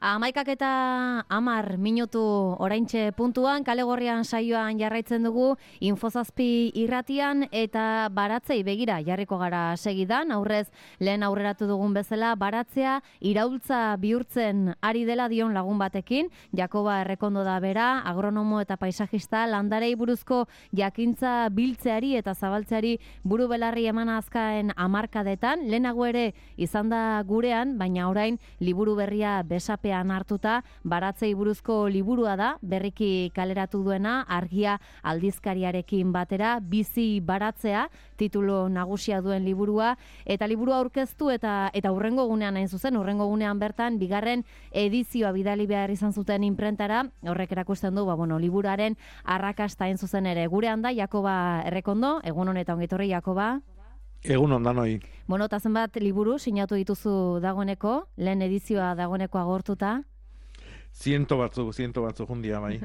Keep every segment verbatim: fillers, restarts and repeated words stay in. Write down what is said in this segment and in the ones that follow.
Amaikak eta amar minutu oraintxe puntuan, kale gorrian saioan jarraitzen dugu, Infozazpi irratian eta baratzei begira jarriko gara segidan, aurrez lehen aurreratu dugun bezala, baratzea iraultza bihurtzen ari dela dion lagun batekin, Jakoba Errekondo da bera, agronomo eta paisajista, landarei buruzko jakintza biltzeari eta zabaltzeari buru belarri eman azkaen hamarkadetan, lehenago ere izan da gurean, baina orain liburu berria besape hartuta, baratzei buruzko liburua da, berriki kaleratu duena, Argia aldizkariarekin batera, Bizi baratzea, titulu nagusia duen liburua, eta liburua aurkeztu eta eta hurrengo gunean hain zuzen, hurrengo gunean bertan, bigarren edizioa bidali behar izan zuten imprentara, horrek erakusten du, ba, bueno, liburuaren arrakasta hain zuzen ere. Gurean da, Jakoba Errekondo, egun honetan ongitorri, Jakoba. Egun ondan hoi. Bueno, eta zenbat liburu sinatu dituzu dagoeneko, lehen edizioa dagoeneko agortuta? Ziento batzu, ziento batzu jundia bai.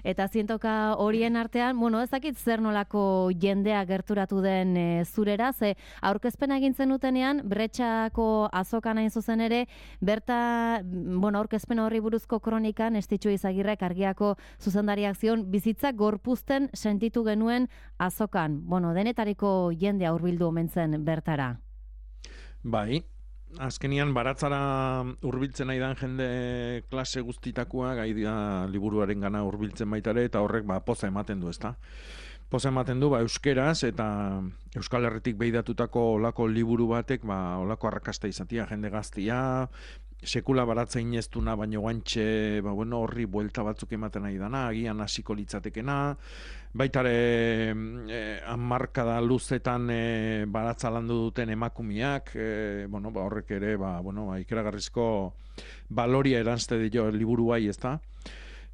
Eta zientoka horien artean, bueno, ez dakit zer nolako jendea gerturatu den e, zurera, ze aurkezpena egin zenutenean, Bretxako azokan hain zuzen ere, berta, bueno, aurkezpen horri buruzko kronikan, Estitxu Izagirrek Argiako zuzendariak zion, bizitza gorpuzten sentitu genuen azokan. Bueno, denetariko jendea hurbildu omen zen bertara. Bai, azkenian baratzara hurbiltzen nahi dan jende klase guztitakoa, gai da liburuaren gana hurbiltzen baitare, eta horrek ba, poza ematen du, ezta? Poza ematen du, ba, euskeraz, eta Euskal Herritik behidatutako olako liburu batek, ba, olako arrakasta izatia, jende gaztia, sekula baratza ineztuna, baino guantxe, ba, bueno, horri buelta batzuk ematen nahi dana, agian hasiko litzatekena, baitare eh, hamarkada luzetan eh, baratza landu duten emakumiak, eh, bueno, ba, horrek ere, ba, bueno, ba, ikeragarrizko baloria eranzte dio liburu bai, ezta?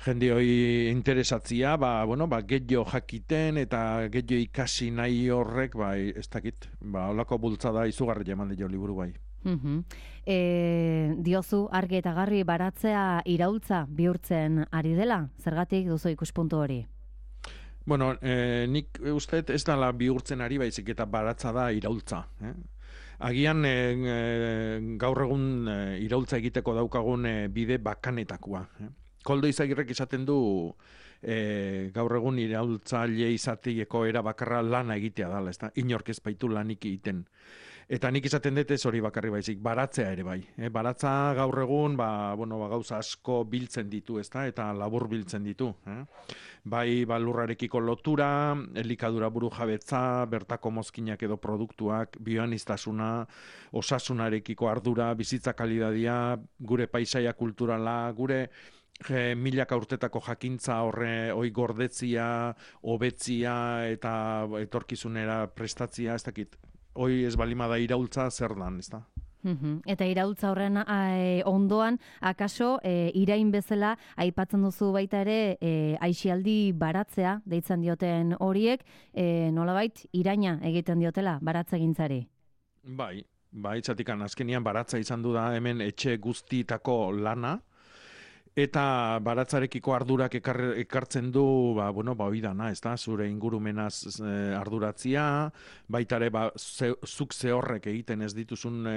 Jende hoi interesatzia, ba, bueno, ba, getxo jakiten eta getxo ikasi nahi horrek, ba, ez dakit, ba, olako bultzada izugarri eman dio liburu bai. Uh-huh. E, diozu argi eta garbi baratzea iraultza bihurtzen ari dela, zergatik duzu ikuspuntu hori? Bueno, eh, nik uste ez dela bihurtzen ari baizik eta baratza da iraultza. Eh? Agian eh, eh, gaur egun eh, iraultza egiteko daukagun eh, bide bakanetakoa. Eh? Koldo Izagirrek esaten du eh, gaur egun iraultzaile izateko era bakarra lana egitea dela, ezta? Inork ez baitu lanik egiten. Eta nik izaten dut ez hori bakarri baizik, baratzea ere bai. E, baratza gaur egun, ba, bueno, ba, gauza asko biltzen ditu, ezta? Eta labur biltzen ditu. Eh? Bai, ba, lurrarekiko lotura, elikadura buru jabetza, bertako mozkinak edo produktuak, bioaniztasuna, osasunarekiko ardura, bizitza kalidadia, gure paisaia kulturala, gure E, milaka urtetako jakintza horre oi gordetzia, hobetzia eta etorkizunera prestatzia, ez dakit, hoi ez balima da iraultza zer dan, ez da? Uhum. Eta iraultza horren e, ondoan, akaso, e, irain bezala, aipatzen duzu baita ere, e, aisialdi baratzea, deitzen dioten horiek, e, nolabait, iraina egiten diotela, baratzegintzari. Bai, bai, txatikan, azkenian baratza izan du da hemen etxe guztietako lana, eta baratzarekiko ardurak ekar, ekartzen du, ba, bueno, ba, oidana, ez da, zure ingurumenaz e, arduratzia, baitare, ba, ze, zuk zehorrek egiten ez dituzun e,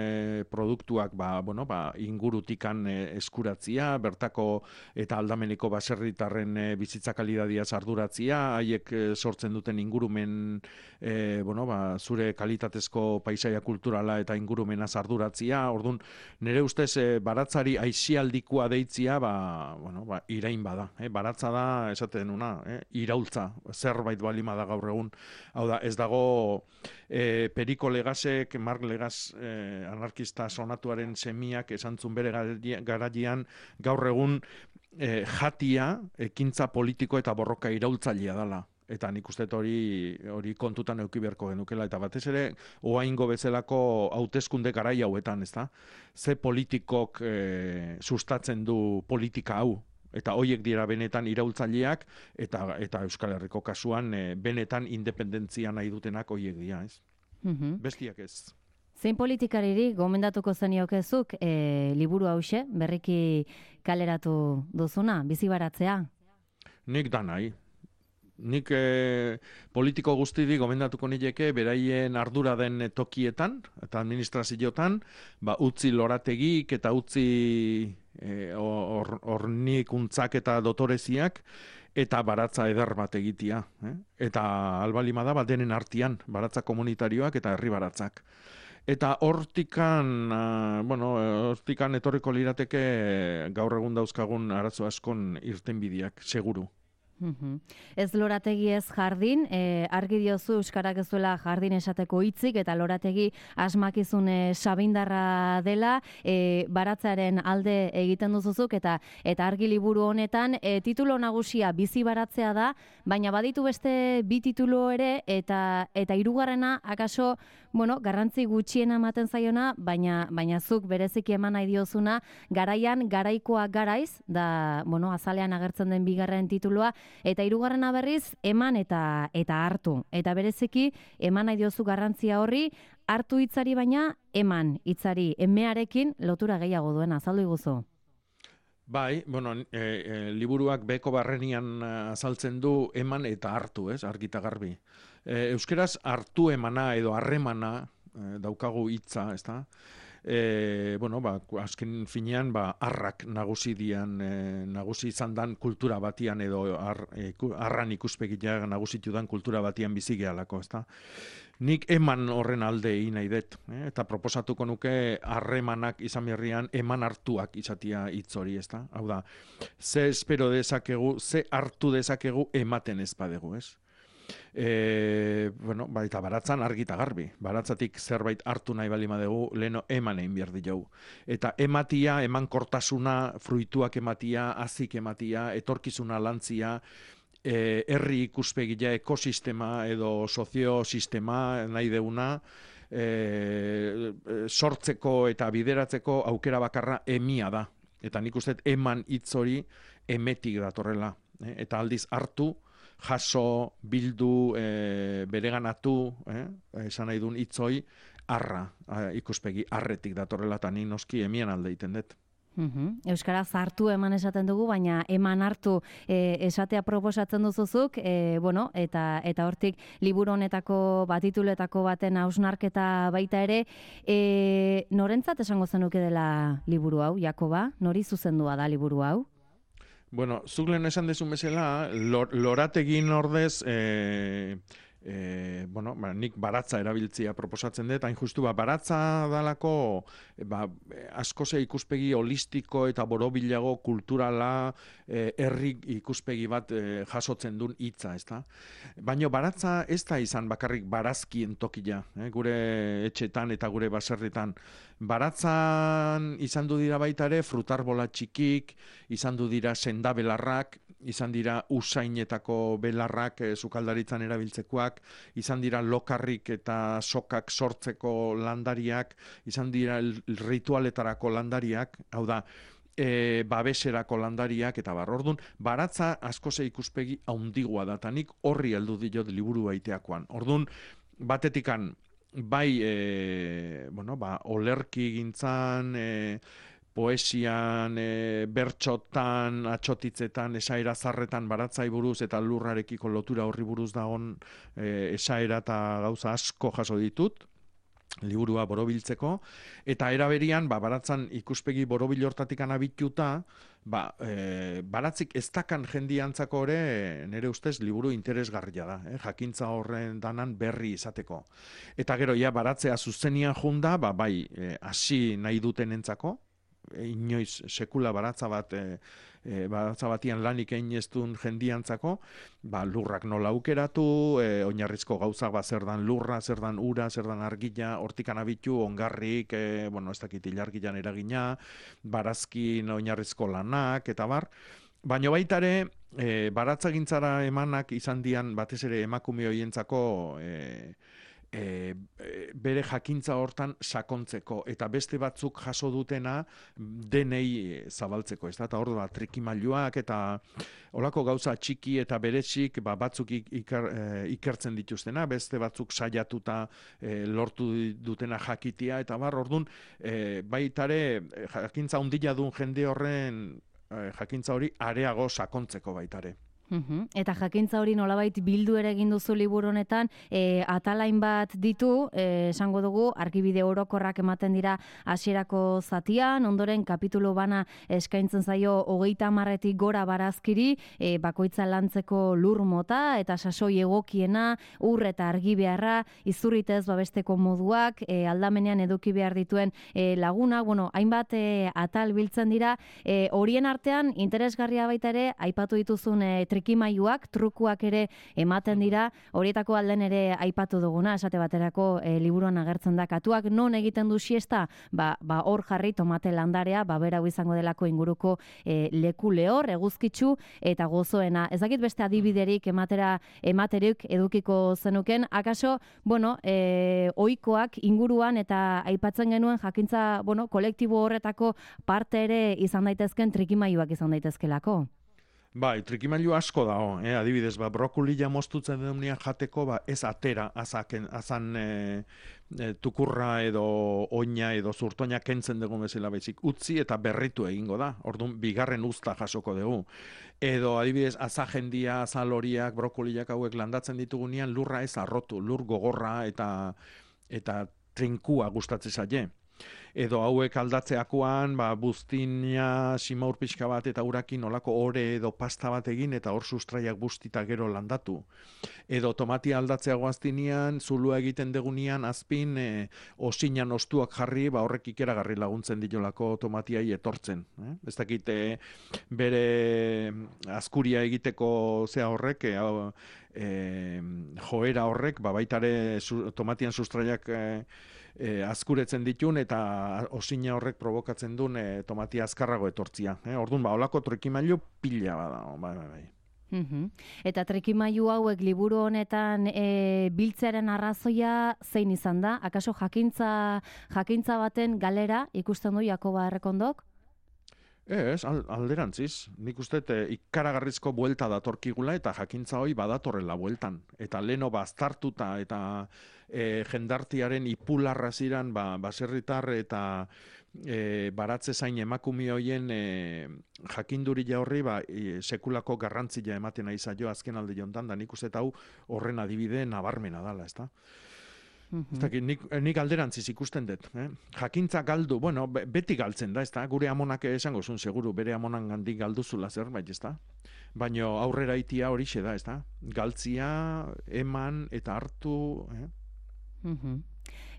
produktuak, ba, bueno, ba, ingurutikan e, eskuratzia, bertako eta aldameneko baserritarren e, bizitza kalidadiaz arduratzia, haiek e, sortzen duten ingurumen, e, bueno, ba, zure kalitatezko paisaia kulturala eta ingurumenaz arduratzia, orduan, nire ustez, e, baratzari aisialdikoa deitzia, ba, bueno, ba, irain bada, eh? Baratza da, esaten una, eh? Iraultza, zerbait balima da gaur egun. Hau da, ez dago eh, Periko Legasek, Mark Legas eh, anarkista sonatuaren semiak esantzun bere garaian gaur egun eh, jatia, ekintza politiko eta borroka iraultzailea dela. Eta nik uste hori hori kontutan eduki beharko genukela, eta batez ere oaingo bezalako hauteskunde garai hauetan, ezta? Ze politikok e, sustatzen du politika hau, eta hoiek dira benetan iraultzaileak, eta eta Euskal Herriko kasuan e, benetan independentzia nahi dutenak hoiek dira, ez? Mm-hmm. Bestiak ez. Zein politikariri gomendatuko zeniokezuk e, liburu hause, berriki kaleratu duzuna, bizi baratzea? Nik da nahi. nik e, politiko guztiri gomendatuko nileke beraien ardura den tokietan eta administrazioetan, ba, utzi lorategik eta utzi hornikuntzak or, eta dotoreziak, eta baratza eder bat egitia. Eh? Eta albalima da, bat denen artian, baratza komunitarioak eta herri baratzak. Eta hortikan, uh, bueno, hortikan etorriko lirateke gaur egun dauzkagun arazo askon irtenbideak, seguru. Uhum. Ez lorategi ez jardin, e, argi diozu euskarak ez duela jardin esateko hitzik eta lorategi asmakizun e, sabindarra dela, e, baratzaren alde egiten duzuzuk eta eta argi liburu honetan e, titulo nagusia bizi baratzea da, baina baditu beste bi titulu ere eta eta hirugarrena akaso, bueno, garrantzi gutxiena ematen zaiona, baina baina zuk bereziki eman nahi diozuna, garaian garaikoa garaiz, da, bueno, azalean agertzen den bigarren titulua. Eta hirugarrena berriz, eman eta eta hartu. Eta bereziki, eman nahi diozu garrantzia horri, hartu hitzari baina, eman hitzari, emearekin lotura gehiago duen, azaldu iguzu. Bai, bueno, e, e, liburuak beko barrenian azaltzen du eman eta hartu, ez, argita garbi. E, euskeraz hartu emana edo harremana e, daukagu hitza, ez da? E, bueno, ba, azken finean, ba, arrak nagusi dian, e, nagusi izan dan kultura batian edo ar, e, arran ikuspegia nagusitu dan kultura batian bizi gehalako, ezta? Nik eman horren alde egin nahi dut, eh? Eta proposatuko nuke harremanak izan berrian eman hartuak izatia hitz hori, ezta? Hau da, ze espero dezakegu, ze hartu dezakegu ematen ez badegu, ez? E, bueno, baita baratzan argi eta garbi. Baratzatik zerbait hartu nahi balima dugu, leheno eman egin behar diogu. Eta ematia, eman kortasuna, fruituak ematia, azik ematia, etorkizuna lantzia, e, herri ikuspegia, ekosistema edo soziosistema nahi deuna, e, sortzeko eta bideratzeko aukera bakarra emia da. Eta nik uste eman hitz hori emetik datorrela. Eh? Eta aldiz hartu, jaso, bildu, e, bereganatu, eh? esan nahi duen hitzoi, arra, ikuspegi, arretik datorrela, eta ni noski emien alde iten dut. Uhum. Euskaraz hartu eman esaten dugu, baina eman hartu e, esatea proposatzen duzuzuk, e, bueno, eta eta hortik liburu honetako batituletako baten hausnarketa baita ere, e, norentzat esango zenuke dela liburu hau, Jakoba? Nori zuzendua da liburu hau? Bueno, zuk lehen esan dezun bezala, lor, lorategin ordez, e, e, bueno, ba, nik baratza erabiltzia proposatzen dut, hain justu, ba, baratza dalako, ba, askoze ikuspegi holistiko eta borobilago kulturala, e, herri ikuspegi bat e, jasotzen duen hitza, ezta? Baina baratza ez da izan bakarrik barazkien tokia, eh? Gure etxetan eta gure baserritan. Baratzan izan du dira baita ere frutarbola txikik, izan du dira sendabelarrak, izan dira usainetako belarrak e, sukaldaritzan erabiltzekoak, izan dira lokarrik eta sokak sortzeko landariak, izan dira ritualetarako landariak, hau da, e, babeserako landariak, eta bar, orduan, baratza askoze ikuspegi haundigua da, eta nik horri heldu diot liburu baiteakoan. Orduan, batetikan, bai, e, bueno, ba, olerki gintzan, e, poesian, e, bertxotan, atxotitzetan, esaera zarretan baratzai buruz eta lurrarekiko lotura horri buruz dagon e, esaera eta gauza asko jaso ditut, liburua borobiltzeko, eta eraberian, ba, baratzan ikuspegi borobil hortatik anabituta, ba, e, baratzik ez dakan jendiantzako ere, nire ustez, liburu interesgarria da, eh? Jakintza horren danan berri izateko. Eta gero, ja, baratzea zuzenian junda, ba, bai, hasi nahi duten entzako, e, inoiz sekula baratza bat, e, e, baratza batian lanik egin ez duen jendiantzako, ba, lurrak nola aukeratu, e, oinarrizko gauzak ba, zer dan lurra, zer dan ura, zer dan argila, hortikan abitu, ongarrik, e, bueno, ez dakit ilargilan eragina, barazkin oinarrizko lanak, eta bar. Baina baita ere, e, baratzagintzara emanak izan dian batez ere emakume hoientzako e, E, bere jakintza hortan sakontzeko eta beste batzuk jaso dutena denei zabaltzeko, ez da, eta hor da, trikimailuak eta olako gauza txiki eta berezik ba, batzuk iker, e, ikertzen dituztena, beste batzuk saiatuta e, lortu dutena jakitia, eta bar, orduan, e, baitare jakintza handia duen jende horren e, jakintza hori areago sakontzeko baitare. Uhum. Eta jakintza hori nolabait bildu ere egin duzu liburu honetan, e, atalain bat ditu, e, esango dugu, argibide orokorrak ematen dira hasierako zatian, ondoren kapitulu bana eskaintzen zaio hogeita hamarretik gora barazkiri, e, bakoitza lantzeko lur mota, eta sasoi egokiena, ur eta argi beharra, izurritez babesteko moduak, e, aldamenean eduki behar dituen e, laguna, bueno, hainbat e, atal biltzen dira, e, horien artean interesgarria baita ere, aipatu dituzun e, trikimailuak, trukuak ere ematen dira, horietako alden ere aipatu duguna, esate baterako e, liburuan agertzen da katuak, non egiten du siesta, ba, ba hor jarri tomate landarea, ba bera izango delako inguruko e, leku lehor, eguzkitzu eta gozoena. Ez dakit beste adibiderik ematera ematerik edukiko zenuken, akaso, bueno, e, ohikoak inguruan eta aipatzen genuen jakintza, bueno, kolektibo horretako parte ere izan daitezken trikimailuak izan daitezkelako. Bai, trikimailu asko dago, eh? Adibidez, ba, brokolila moztutzen denean jateko, ba, ez atera, azaken, azan e, e, tukurra edo oina edo zurtoina kentzen dugu bezala baizik, utzi eta berritu egingo da, orduan bigarren uzta jasoko dugu. Edo adibidez, azajendia, azaloriak, brokolilak hauek landatzen ditugunean lurra ez arrotu, lur gogorra eta, eta trinkua gustatzen zaie. Edo hauek aldatzeakoan, ba, buztina, simaur pixka bat eta urakin olako ore edo pasta bat egin eta hor sustraiak bustita gero landatu. Edo tomatia aldatzea goaztinean, zulua egiten degunean, azpin, e, osinan ostuak jarri, ba, horrek ikeragarri laguntzen ditolako tomatiai etortzen. Eh? Ez dakit, e, bere azkuria egiteko zea horrek, e, e, joera horrek, ba, baitare su, tomatian sustraiak e, E, azkuretzen ditun eta osina horrek provokatzen duen e, tomatia azkarrago etortzia. Eh? Orduan, ba, olako trikimailu pila bada. Bai, bai, bai. Uhum. Eta trikimailu hauek liburu honetan e, biltzearen arrazoia zein izan da? Akaso jakintza, jakintza baten galera ikusten du Jakoba Errekondok? Ez, alderantziz. Nik uste e, ikaragarrizko buelta datorkigula eta jakintza hori badatorrela bueltan. Eta leno baztartuta eta e, jendartiaren ipularra ziran ba, baserritar eta e, baratze zain emakumi hoien e, jakinduria horri ba, e, sekulako garrantzia ematen nahi zaio azken alde jontan, da nik uste eta hau horren adibide nabarmena dala, ezta? Ez dakit, nik, nik alderantziz ikusten dut. Eh? Jakintza galdu, bueno, beti galtzen da, ez da? Gure amonak esango zuen, seguru, bere amonan gandik galduzula zerbait, ez da? Baina aurrera itia horixe da, ez da? Galtzia, eman eta hartu... Eh? Mhm.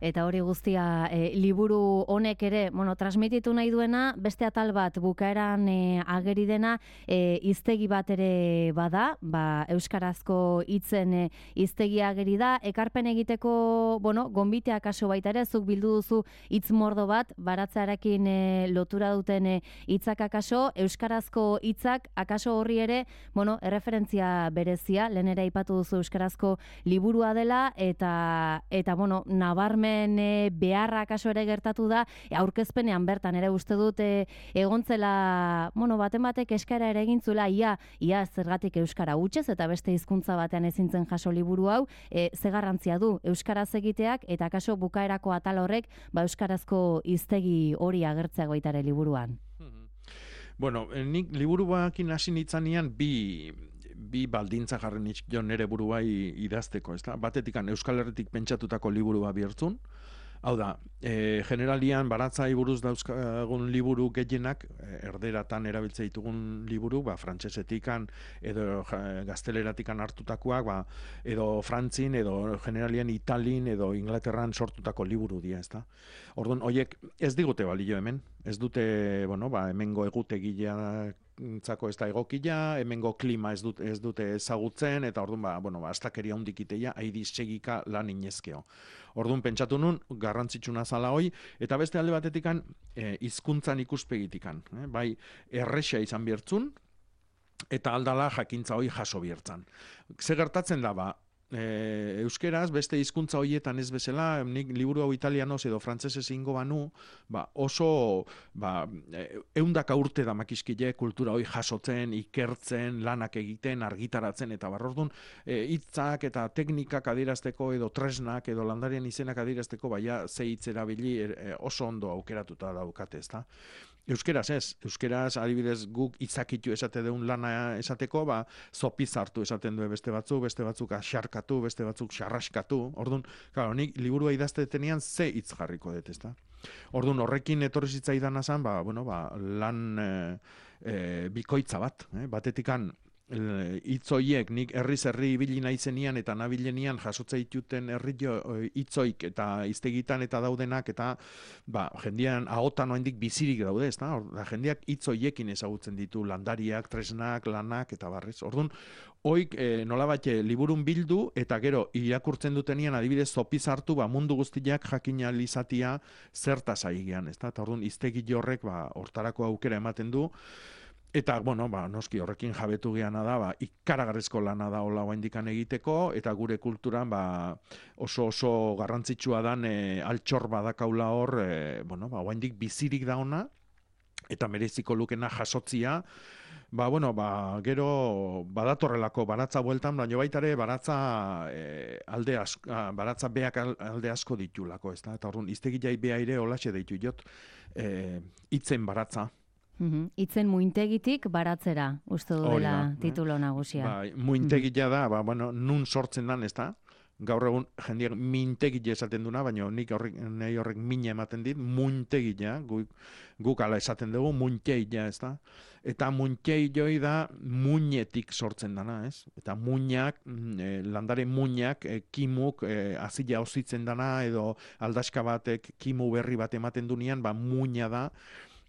Eta hori guztia e, liburu honek ere, bueno, transmititu nahi duena, beste atal bat bukaeran e, ageri dena, e, hiztegi bat ere bada, ba, euskarazko hitzen e, hiztegi ageri da, ekarpen egiteko, bueno, gonbitea kaso baita ere, zuk bildu duzu hitz mordo bat, baratzearekin e, lotura duten hitzak akaso, euskarazko hitzak akaso horri ere, bueno, erreferentzia berezia, lehen ere aipatu duzu euskarazko liburua dela, eta, eta bueno, nabarmen e, beharra kaso ere gertatu da, e, aurkezpenean bertan ere uste dut e, egontzela, bueno, baten batek eskaera ere egintzula, ia, ia zergatik euskara hutsez eta beste hizkuntza batean ezintzen jaso liburu hau, e, ze garrantzia du euskaraz egiteak eta kaso bukaerako atal horrek, ba euskarazko hiztegi hori agertzea baita ere liburuan. Bueno, nik liburu bakin hasi nitzanean bi bi baldintza jarri nitxio nere buruai idazteko, ezta? Batetikan Euskal Herritik pentsatutako liburua bihurtzun. Hau da, e, generalian baratzai buruz dauzkagun liburu gehienak, erderatan erabiltze ditugun liburu, ba, frantsesetikan edo gazteleratikan hartutakoak, ba, edo frantzin, edo generalian italin, edo Inglaterran sortutako liburu dira, ezta? Orduan, horiek ez digute balio hemen, ez dute, bueno, ba, hemengo egutegileak zako ez da egokila, hemengo klima ez dute, ez dute ezagutzen, eta orduan, ba, bueno, ba, astakeria hundikiteia, haidi segika lan inezkeo. Orduan, pentsatu nun, garrantzitsuna zala hoi, eta beste alde batetikan, e, hizkuntzan ikuspegitikan. Eh? Bai, erresa izan biertzun, eta aldala jakintza hoi jaso biertzan. Ze gertatzen da, ba, E, euskeraz, beste hizkuntza horietan ez bezala, nik liburu hau italianoz edo frantsesez ingo banu, ba, oso ba, eundaka urte da makiskile kultura hori jasotzen, ikertzen, lanak egiten, argitaratzen, eta barrordun, e, hitzak eta teknikak adierazteko edo tresnak edo landarien izenak adierazteko, baina ze hitz erabili e, oso ondo aukeratuta daukate, ezta? Euskeraz ez, euskeraz adibidez guk itzakitu esate deun lana esateko, ba, zopiz hartu esaten du beste batzuk, beste batzuk axarkatu, beste batzuk xarraskatu. Orduan, claro, nik liburua idaztetenean ze hitz jarriko dut, ezta? Orduan, horrekin etorri zitzaidan azan, ba, bueno, ba, lan e, e, bikoitza bat, eh? Batetikan hitzoiek nik herriz herri ibili naizenian eta nabilenian jasotza dituten herri hitzoik eta hiztegitan eta daudenak eta ba jendean ahotan oraindik bizirik daude, ezta? Da jendeak hitzoiekin ezagutzen ditu landariak, tresnak, lanak eta barrez. Ordun hoik e, nolabait liburun bildu eta gero irakurtzen dutenian adibidez zopiz hartu ba mundu guztiak jakin ahal izatia zertaz aigean, ezta? Ta ordun hiztegi horrek ba hortarako aukera ematen du. Eta, bueno, ba, noski horrekin jabetu geana da, ba, ikaragarrizko lana da hola oraindikan egiteko, eta gure kulturan ba, oso oso garrantzitsua dan e, altxor badakaula hor, e, bueno, ba, oraindik bizirik da ona, eta mereziko lukena jasotzia, ba, bueno, ba, gero badatorrelako baratza bueltan, baina baita ere baratza e, alde asko, baratza beak alde asko ditulako, ezta? Eta orduan hiztegiai bea ere holaxe deitu jot, e, hitzen baratza. Itzen muintegitik baratzera, uste du dela titulo nagusia. Bai, muintegia da, ba, bueno, nun sortzen dan, ez da? Gaur egun jendeak mintegia esaten duna, baina nik horrek, nahi horrek mina ematen dit, muintegia, guk, guk ala esaten dugu, muintegia, ez da? Eta muintegioi da muinetik sortzen dana, ez? Eta muinak, e, landare muinak, e, kimuk, e, azila ositzen dana, edo aldaska batek kimu berri bat ematen dunean, ba, muina da,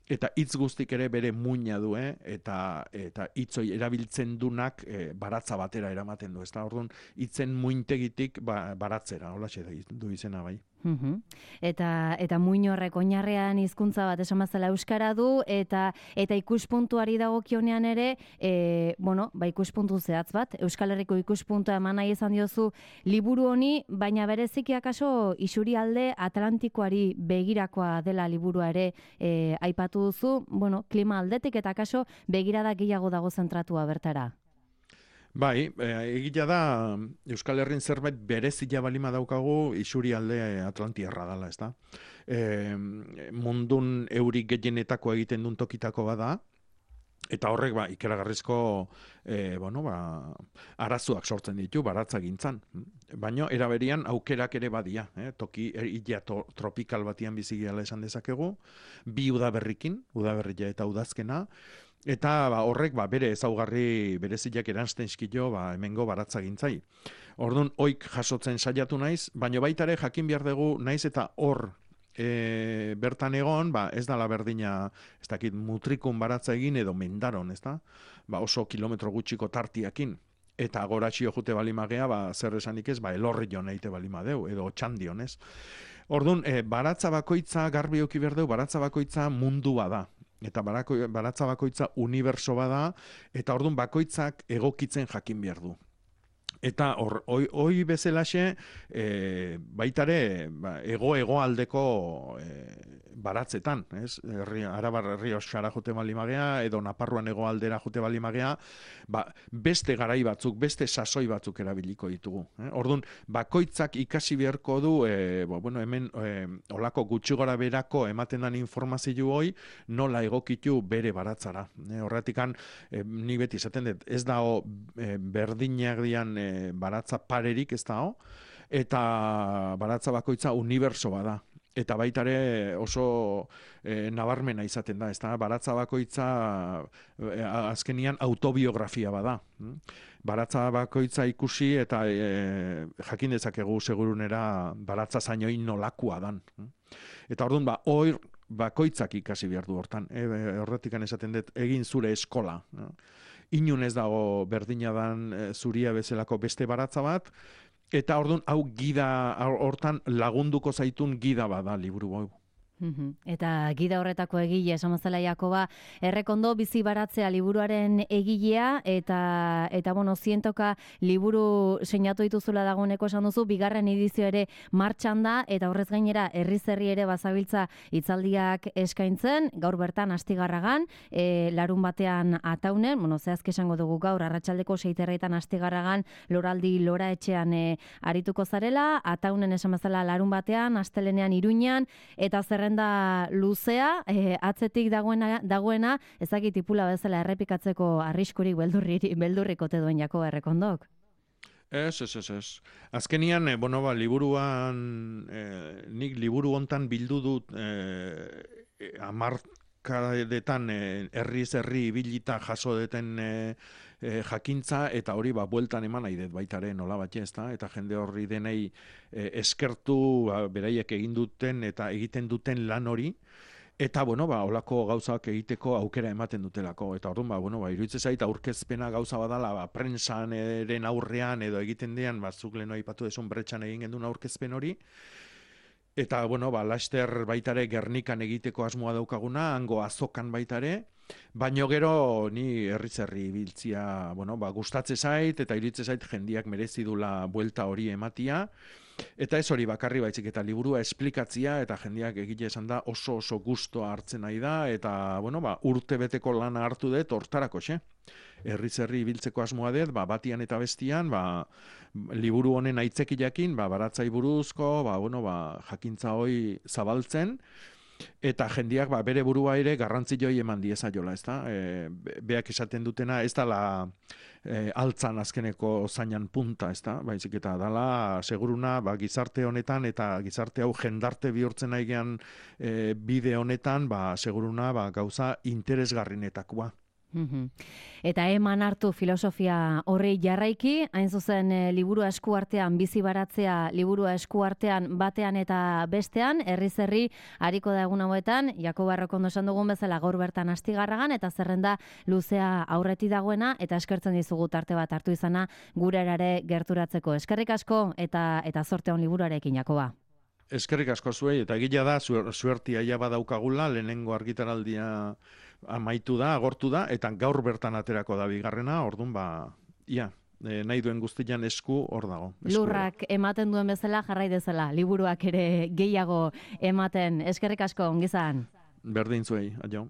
eta hitz guztik ere bere muina du, eh? eta eta hitzoi erabiltzen dunak e, baratza batera eramaten du, ezta? Orduan hitzen muintegitik ba, baratzera, holaxe du izena bai. Uhum. Eta eta muin horrek oinarrean hizkuntza bat esan bezala euskara du eta eta ikuspuntuari dagokionean ere e, bueno, ba ikuspuntu zehatz bat, Euskal Herriko ikuspuntua eman nahi izan diozu liburu honi, baina bereziki akaso isurialde Atlantikoari begirakoa dela liburua ere e, aipatu duzu, bueno, klima aldetik eta akaso begirada gehiago dago zentratua bertara. Bai, egia da Euskal Herrin zerbait berezia balima daukagu isurialde Atlantiarra dela, ezta? E, mundun eurik gehienetako egiten duen tokitako bada, eta horrek ba ikaragarrizko e, bueno, ba, arazoak sortzen ditu baratza gintzan. Baina eraberian aukerak ere badia, eh? Toki illa to, tropikal batian bizigiala esan dezakegu, bi udaberrikin, udaberria eta udazkena, eta ba, horrek ba, bere ezaugarri bereziak eransten eskilo ba, hemengo baratza gintzai. Orduan, oik jasotzen saiatu naiz, baina baita ere jakin behar dugu naiz eta hor e, bertan egon, ba, ez dala berdina, ez dakit mutrikun baratza egin edo mendaron, ez da? Ba, oso kilometro gutxiko tartiakin. Eta goratxio jute balimagea, ba, zer esanik ez, ba, elorri jo neite balimadeu, edo txandion, ez? Orduan, e, baratza bakoitza, garbi oki berdeu, baratza bakoitza mundua da. Eta barako, baratza bakoitza uniberso bada, eta orduan bakoitzak egokitzen jakin behar du. Eta hor, oi, oi bezalaxe, e, baitare, ba, ego-ego aldeko e, baratzetan, ez? Herri, Arabar herri osara jote balimagea, edo Naparruan ego aldera jote balimagea, ba, beste garai batzuk, beste sasoi batzuk erabiliko ditugu. Eh? Orduan, bakoitzak ikasi beharko du, e, bo, bueno, hemen e, olako gutxi gora berako ematen dan informazio hoi, nola egokitu bere baratzara. Eh? Horretikan, e, ni beti esaten dut, ez dao e, berdinak dian e, baratza parerik ez dao, eta baratza bakoitza uniberso bada. Eta baita ere oso e, nabarmena izaten da, ezta? Baratza bakoitza e, azkenian autobiografia bada. Baratza bakoitza ikusi eta e, jakin dezakegu segurunera baratza zainoi nolakua dan. Eta orduan ba, hor bakoitzak ikasi behar du hortan. E, horretikan esaten dut egin zure eskola. Inun ez dago berdina dan e, zuria bezalako beste baratza bat, eta orduan hau gida hortan lagunduko zaitun gida bada liburu hau. Eta gida horretako egile, esamazela Jakoba, errekondo bizi baratzea liburuaren egilea, eta, eta bueno, zientoka liburu seinatu dituzula dagoeneko esan duzu, bigarren edizio ere martxan da, eta horrez gainera herriz herri ere bazabiltza hitzaldiak eskaintzen, gaur bertan Astigarragan, e, larun batean Ataunen, bueno, zehazki esango dugu gaur, arratsaldeko seiterretan Astigarragan, loraldi lora etxean e, arituko zarela, Ataunen esamazela larun batean, astelenean Iruñan, eta zerrenda zerrenda luzea, e, atzetik dagoena, dagoena ezakit tipula bezala errepikatzeko arriskurik beldurrik, beldurrik ote duen Jakoba Errekondok. Ez, ez, ez, ez. Azkenian, eh, bueno, ba, liburuan, eh, nik liburu hontan bildu dut eh, amarkadetan eh, herriz herri ibilita jaso deten eh, eh, jakintza, eta hori ba, bueltan eman nahi dut baitare nola bat ezta, eta jende horri denei eh, eskertu ba, beraiek egin duten eta egiten duten lan hori, eta, bueno, ba, olako gauzak egiteko aukera ematen dutelako. Eta orduan, ba, bueno, ba, iruditzen zait aurkezpena gauza badala, ba, prentsaren aurrean edo egiten dean, ba, zuk leheno aipatu desun bretxan egin gendun aurkezpen hori. Eta, bueno, ba, laster baitare Gernikan egiteko asmoa daukaguna, hango azokan baitare, baino gero ni herriz herri ibiltzia, bueno, ba, gustatze zait, eta iruditzen zait jendiak merezi dula buelta hori ematia. Eta ez hori bakarri baizik eta liburua esplikatzia, eta jendeak egile esan da oso oso gustoa hartzen nahi da, eta bueno, ba, urte beteko lana hartu dut hortarako, xe. Herriz herri ibiltzeko asmoa dut, ba, batian eta bestian, ba, liburu honen aitzekilakin, ba, baratzai buruzko, ba, bueno, ba, jakintza hoi zabaltzen, eta jendiak ba, bere burua ere garrantzi joi eman diezaiola, ezta? E, beak esaten dutena, ez dala e, altzan azkeneko zainan punta, ezta? Baizik eta dala seguruna ba, gizarte honetan eta gizarte hau jendarte bihurtzen naigean e, bide honetan, ba, seguruna ba, gauza interesgarrinetakoa. Eta eman hartu filosofia horri jarraiki, hain zuzen e, liburua eskuartean bizi baratzea, liburua eskuartean batean eta bestean, herriz herri hariko da egun hauetan, Jakoba Errekondo esan dugun bezala gaur bertan Astigarragan, eta zerrenda luzea aurreti dagoena, eta eskertzen dizugu tarte bat hartu izana gure erare gerturatzeko. Eskerrik asko eta eta zorte on liburuarekin, Jakoba. Eskerrik asko zuei, eta gila da, suertia ja badaukagula, lehenengo argitaraldia amaitu da, agortu da, eta gaur bertan aterako da bigarrena, orduan ba, ia, e, nahi duen guztian esku hor dago. Esku Lurrak ematen duen bezala jarrai dezala, liburuak ere gehiago ematen. Eskerrik asko, ongizan. Berdin zuei, adio.